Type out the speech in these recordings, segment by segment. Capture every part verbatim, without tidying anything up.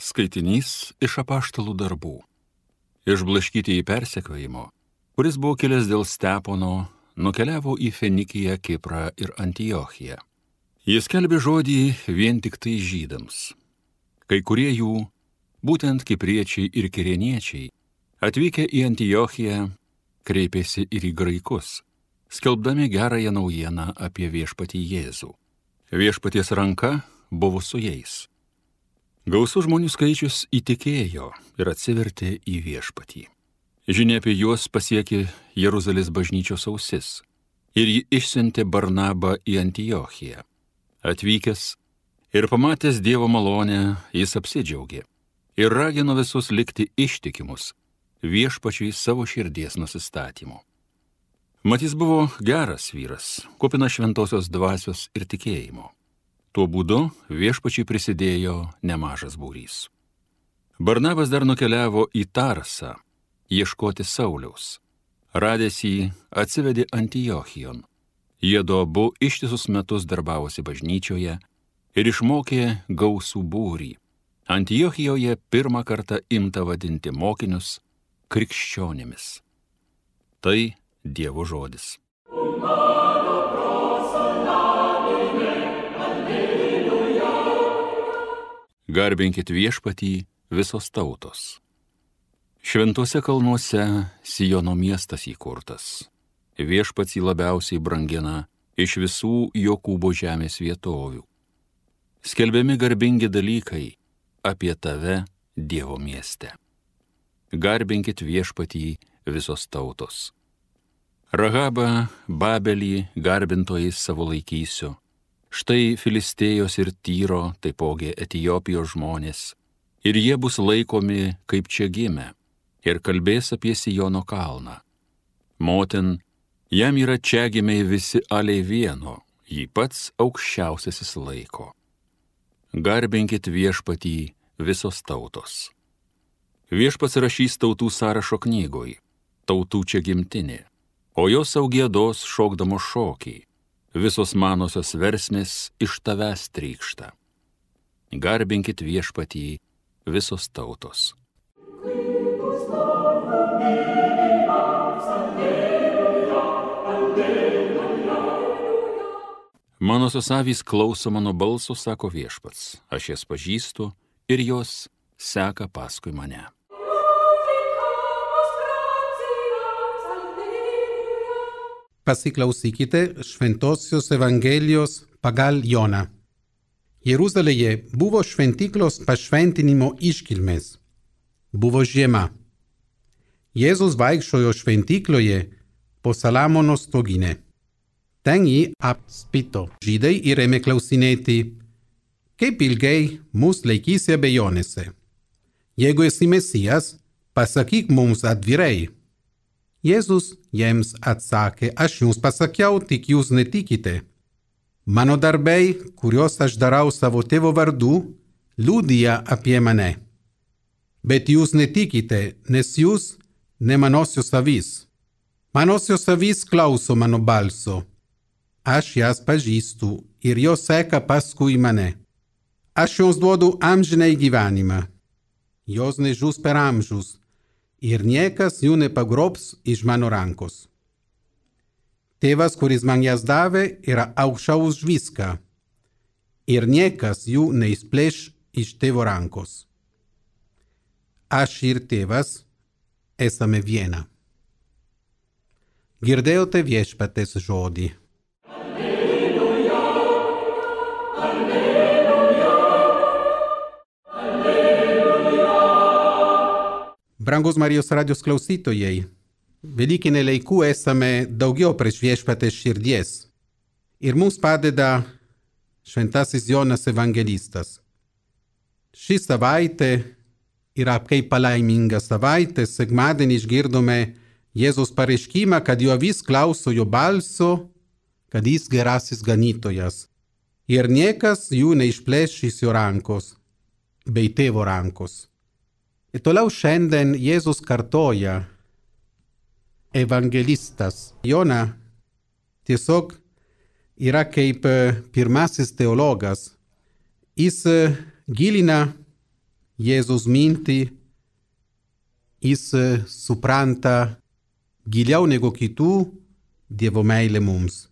Skaitinys iš apaštalų darbų. Išblaškyti į persekiojimo, kuris buvo kilęs dėl Stepono, nukeliavo į Fenikiją, Kiprą ir Antiochiją. Jis skelbė žodį vien tik tai žydams. Kai kurie jų, būtent kipriečiai ir kirėniečiai, atvykę į Antiochiją, kreipėsi ir į graikus, skelbdami gerąją naujieną apie viešpatį Jėzų. Viešpaties ranka buvo su jais. Gausus žmonių skaičius įtikėjo ir atsivertė į viešpatį. Žinia apie juos pasiekė Jeruzalės bažnyčios ausis ir ji išsiuntė Barnabą į Antiochiją. Atvykęs ir pamatęs Dievo malonę, jis apsidžiaugė ir ragino visus likti ištikimus viešpačiui savo širdies nusistatymu. Mat jis buvo geras vyras, kupinas šventosios dvasios ir tikėjimo. Tuo būdu viešpačiui prisidėjo nemažas būrys. Barnabas dar nukeliavo į Tarsą, ieškoti Sauliaus. Radęs jį, atsivedė Antiochijon. Jiedu abu ištisus metus darbavosi bažnyčioje ir išmokė gausų būrį. Antiochijoje pirmą kartą imta vadinti mokinius krikščionimis. Tai Dievo žodis. Garbinkit viešpatį visos tautos. Šventuose kalnuose Siono miestas įkurtas. Viešpats jį labiausiai brangina iš visų Jokūbo žemės vietovių. Skelbiami garbingi dalykai apie tave, Dievo mieste. Garbinkit viešpatį visos tautos. Rahabą, Babelį garbintojais savo laikysiu. Štai Filistėjos ir Tyro, taipogi Etijopijos žmonės, ir jie bus laikomi kaip čia gimę, ir kalbės apie Siono kalną. Motin, jam yra čia gimiai visi aliai vieno, jį pats aukščiausiasis laiko. Garbinkit viešpatį visos tautos. Viešpats rašys tautų sąrašo knygoj, tautų čia gimtinė, o jos sau giedos šokdamos šokį. Visos manosios versmės iš tavęs trykšta. Garbinkit viešpatį visos tautos. Manosios avys klauso mano balso, sako viešpats. Aš jas pažįstu ir jos seka paskui mane. Pasiklausykite Šventosios Evangelijos pagal Joną. Jeruzalėje buvo šventyklos pašventinimo iškilmės. Buvo žiema. Jėzus vaikščiojo šventykloje po Saliamono stoginę. Ten jį apspito žydai ir ėmė klausinėti, kaip ilgai mus laikysi abejonėse. Jeigu esi Mesijas, pasakyk mums atvirai. Jėzus jiems atsakė, aš jums pasakiau, tik jūs netikite. Mano darbai, kuriuos aš darau savo tėvo vardu, liudija apie mane. Bet jūs netikite, nes jūs ne manosios avys. Manosios avys klauso mano balso. Aš jas pažįstu ir jos seka paskui mane. Aš joms duodu amžinai gyvenimą. Jos nežus per amžius. Ir niekas jų nepagrobs iš mano rankos. Tėvas, kuris man jas davė, yra aukščiau už viską. Ir niekas jų neišplėš iš tėvo rankos. Aš ir tėvas esame viena. Girdėjote viešpaties žodį. Brangus Marijos radijos klausytojai, Velykinė laikų esame daugiau prieš viešpatės širdies ir mums padeda šventasis Jonas evangelistas. Ši savaitė yra kaip palaiminga savaitė, sekmadienį išgirdome Jėzus pareiškimą, kad jo avis klauso jo balso, kad jis gerasis ganytojas ir niekas jų neišplėš iš jo rankos, bei tėvo rankos. Ir toliau šiandien Jėzus kartoja, evangelistas Jona tiesiog yra kaip pirmasis teologas. Jis gilina Jėzus minti, jis supranta giliau negu kitų Dievo meilę mums.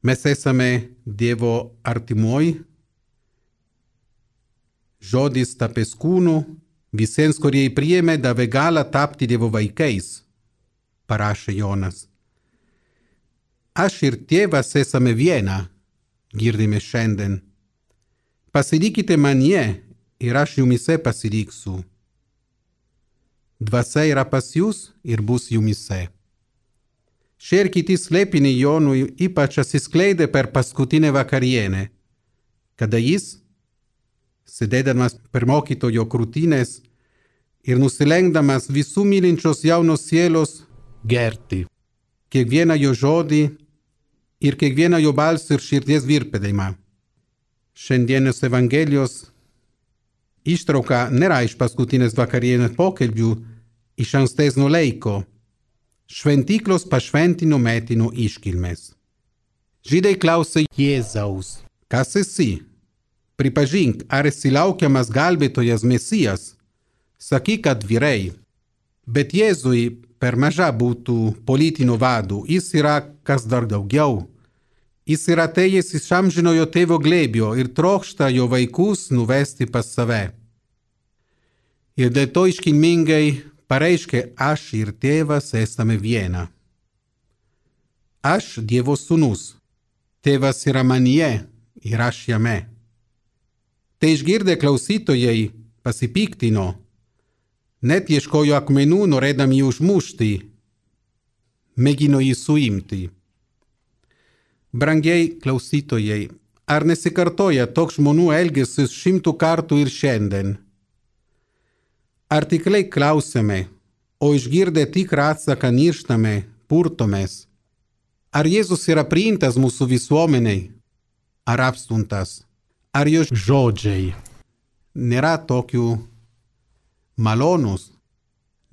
Mes esame Dievo artimoj, žodis tapęs kūnu, visiems, kurie jį priėmė, davė galą tapti Dievo vaikais, parašė Jonas. Aš ir tėvas esame viena, girdime šiandien. Pasilikite manyje ir aš jumise pasiliksiu. Dvasia yra pas jūs ir bus jumise. Šie ir kiti slėpiniai Jonui ypač atsiskleidė per paskutinę vakarienę, kada jis, sėdėdamas per mokytojo krūtinės ir nusilenkdamas visų mylinčios jaunos sielos, gerti kiekvieną jo žodį ir kiekvieną jo balsą ir širdies virpedėjimą. Šiandienos Evangelijos ištrauka nėra iš paskutinės vakarienės pokalbių iš ankstesnio laiko, šventyklos pašventino metino iškilmės. Žydai klausė Jėzaus, kas esi? Pripažink, ar esi laukiamas gelbėtojas Mesijas? Sakyk atvirai. Bet Jėzui per maža būtų politinių vadų, jis yra kas dar daugiau. Jis yra atėjęs iš amžinojo tėvo glėbio ir trokšta jo vaikus nuvesti pas save. Ir dėl to iškilmingai pareiškė, aš ir tėvas esame viena. Aš Dievo sūnus, tėvas yra manyje ir aš jame. Tai išgirdę klausytojai pasipiktino, net ieškojo akmenų norėdami jį užmušti, mėgino jį suimti. Brangiai klausytojai, ar nesikartoja toks žmonių elgesis šimtų kartų ir šiandien? Ar tikrai klausėme, o išgirdę tikrą atsaką nirštame, purtomės? Ar Jėzus yra priimtas mūsų visuomeniai, ar apstumtas? Ar jo žodžiai nėra tokių malonus,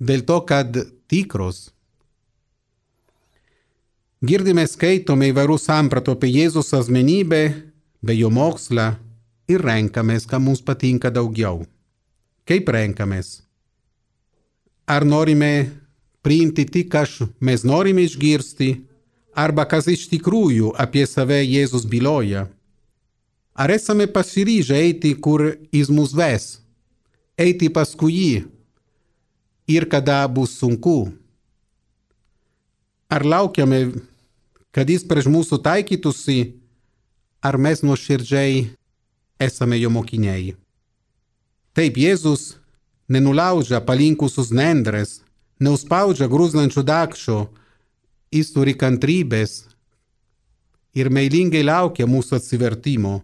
dėl to, kad tikros? Girdime, skaitome įvairių sampratų apie Jėzus asmenybę, bei jo mokslą ir renkamės, ką mums patinka daugiau. Kaip renkamės? Ar norime priimti tik, kas mes norime išgirsti, arba kas iš tikrųjų apie save Jėzus byloja? Ar esame pasiryžę eiti, kur jis mus ves, eiti paskui jį ir kada bus sunku? Ar laukiame, kad jis prieš mūsų taikytųsi, ar mes nuoširdžiai esame jo mokiniai? Taip, Jėzus nenulaužia palinkusius nendres, neuspaudžia grūznančių dakšo, jis turi kantrybės ir meilingai laukia mūsų atsivertimo.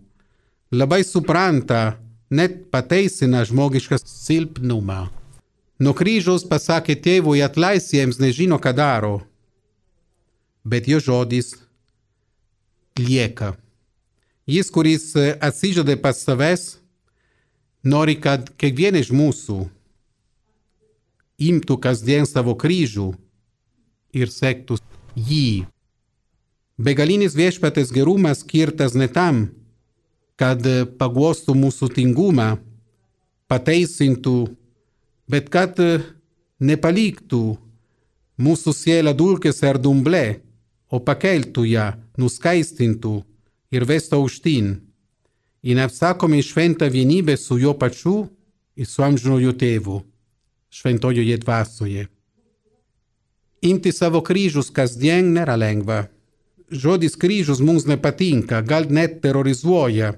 Labai supranta, net pateisina žmogišką silpnumą. Nuo kryžiaus pasakė tėvui, atleisk jiems, nežino, ką daro. Bet jo žodis lieka. Jis, kuris atsižada pas savęs, nori, kad kiekvienas iš mūsų imtų kasdien savo kryžių ir sektų jį. Begalinis viešpaties gerumas skirtas ne tam, kad paguostų mūsų tingumą, pateisintų, bet kad nepaliktų mūsų sielą dulkėse ar dumble, o pakeltų ją, nuskaistintų ir vestų aukštyn į neapsakomai šventą vienybę su jo pačiu ir su amžinojo tėvu, šventojoje dvasioje. Imti savo kryžius kasdien nėra lengva. Žodis kryžius mums nepatinka, gal net terorizuoja,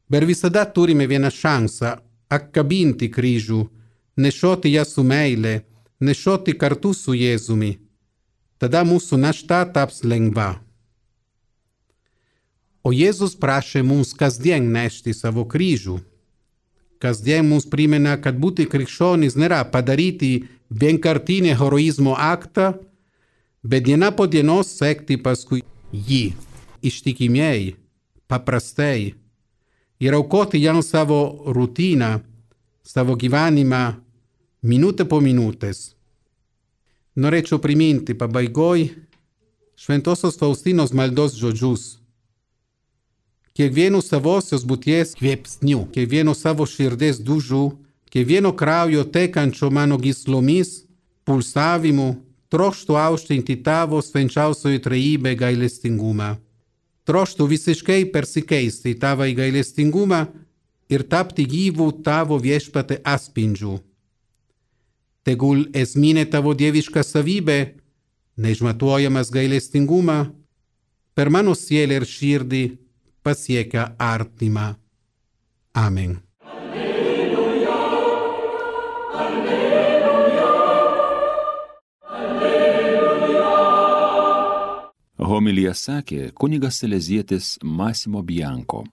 bet visada turime vieną šansą apkabinti kryžių, nešioti ją su meile, nešioti kartu su Jėzumi. Tada mūsų našta taps lengva. O Jėzus prašė mums kasdien nešti savo kryžių. Kasdien mums primena, kad būti krikščionis nėra padaryti vienkartinį heroizmo aktą, bet diena po dienos sekti paskui jį, ištikimiai, paprastai, ir aukoti jam savo rutiną, savo gyvenimą, minutę po minutės. Norėčiau priminti pabaigoj šventosios Faustinos maldos žodžius. kiekvienu savosios būties kvėpsniu, kiekvienu savo širdies dužu, kiekvieno kraujo tekančio mano gyslomis, pulsavimu, troštu aukštinti tavo švenčiausioji trejybė gailestingumą. Troštu visiškai persikeisti tavo į gailestingumą ir tapti gyvų tavo viešpate atspindžiu. Tegul esminė tavo dieviška savybė, neišmatuojamas gailestingumą, per mano sielą ir širdį pasiekia artimą. Amen. Homiliją sakė kunigas salezietis Massimo Bianco.